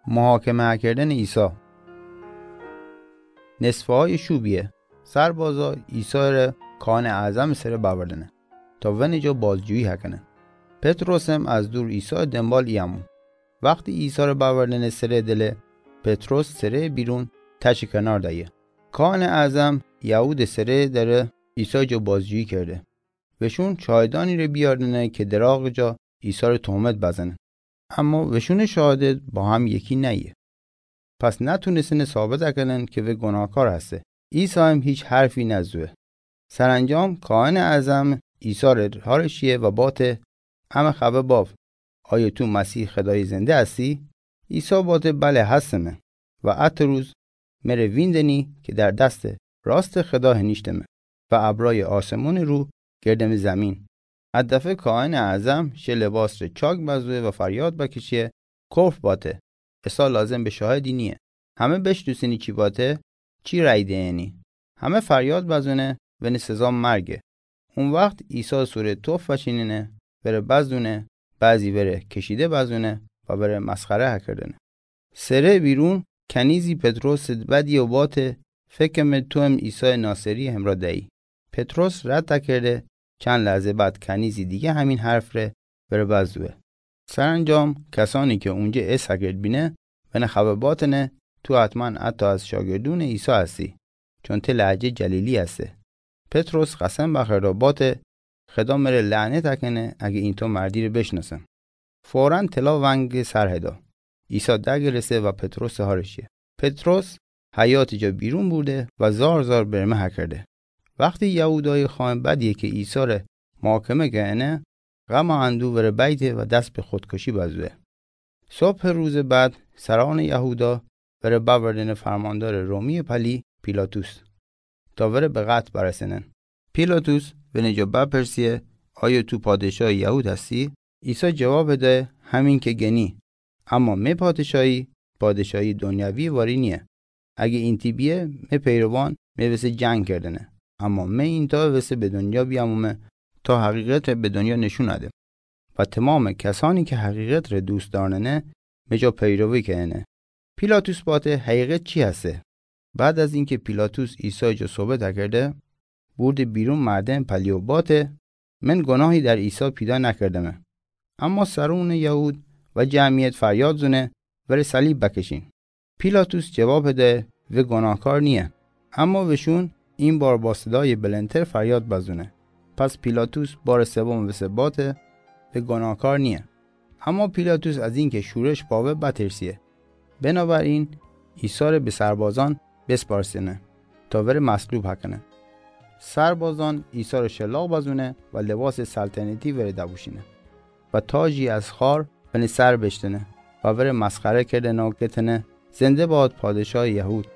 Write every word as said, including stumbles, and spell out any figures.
محاکمه کردن عیسی. نصفه‌های شوبیه، سربازا عیسی ره کاهن اعظم سره باوردنه تا ونجا بازجویی هکنه. پطرسم از دور عیسی دنبال ایمون. وقتی عیسی ره باوردنه سره دله، پطرس سره بیرون تش کنار دایه. کاهن اعظم یهود سره دره عیسی جا بازجویی کرده. وشون شاهدانی ره بیاردنه که دراغ جا عیسی ره تهمت بزنه. اما وشون شهادت با هم یکی نیه. پس نتونستنه ثابت اکنن که وی گناهکار هسته. عیسی هم هیچ حرفی نزوه. سرانجام کاهن اعظم عیسی ره هارش یه و باته: امه خبه باف، آیا تو مسیح خدای زنده هستی؟ عیسی باته: بله هستمه. و ات روز مره ویندنی که در دست راست خدا هنیشتمه و ابرای آسمون رو گردم زمین. ات دفعه کاهن اعظم شه لباس ره چاک بزوه و فریاد بکشیه: کفر باته! عیسی لازم به شاهدی نیه. همه بشنوسنی چی باته، چی رای دینی. همه فریاد بزونه: ونه سزا مرگه. اون وقت عیسی سوره توف فشیننه، وره بزونه، بعضی وره کشیده بزونه و وره مسخره هکردنه. سره بیرون کنیزی پطرس بدی و باته: فکرمه تو هم عیسی ناصری همراه دهی. پطرس رد کرده. چند لحظه بعد کنیزی دیگه همین حرف ره وره بزوه. سرانجام کسانی که اونجا ایسا کرد بینه، ونی خبه باتنه: تو حتما حتی از شاگردون عیسی هستی، چون ته لهجه جلیلی هسته. پطرس قسم بخورده و باته: خدا مره لعنت اکنه اگه اینطو مردی ره بشناسم. فوراً طلا ونگ سر هدا. عیسی دگرسه و پطرس هارشیه. پطرس حیاط جا بیرون بورده و زار زار برمه هکرده. وقتی یهودای خائن بدیه که عیسی ره محاکمه کنه، غم و اندوه وره بیته و دست به خودکشی بزوه. صبح روز بعد سران یهودا وره باوردنه فرماندار رومی پلی پیلاطس تا وره به قتل برسنن. پیلاطس ونی جا بپرسیه: آیا تو پادشاه یهود هستی؟ عیسی جواب ده: همین که گنی. اما می پادشاهی، پادشاهی دنیوی واری نیه. اگه اینطی بیه، می پیروان می وسه جنگ کردنه. اما می اینطا وسه به دنیا بیامومه تا حقیقت ره به دنیا نشون ادم و تمام کسانی که حقیقت ره دوست دارنه، می جا پیروی کنه. پیلاطس باته: حقیقت چی هسته؟ بعد از اینکه پیلاطس عیسی جا صحبت کرده، بورده بیرون مردم پلی و باته: من گناهی در عیسی پیدا نکردمه. اما سرون یهود و جمعیت فریاد زونه: وره صلیب بکشین. پیلاطس جواب ده: وی گناهکار نیه. اما وشون این بار با صدای بلندتر فریاد بزونه. پس پیلاطس بار سوم وسه باته: وی گناهکار نیه. اما پیلاطس از اینکه شورش پاوه بترسیه. بنابراین عیسی ره به سربازان بسپارسنه تا وره مصلوب هکنه. سربازان عیسی ره شلاق بزونه و لباس سلطنتی وره دپوشینه و تاجی از خار ونی سر بشتنه و وره مسخره کردنه و گتنه: زنده باد پادشاه یهود.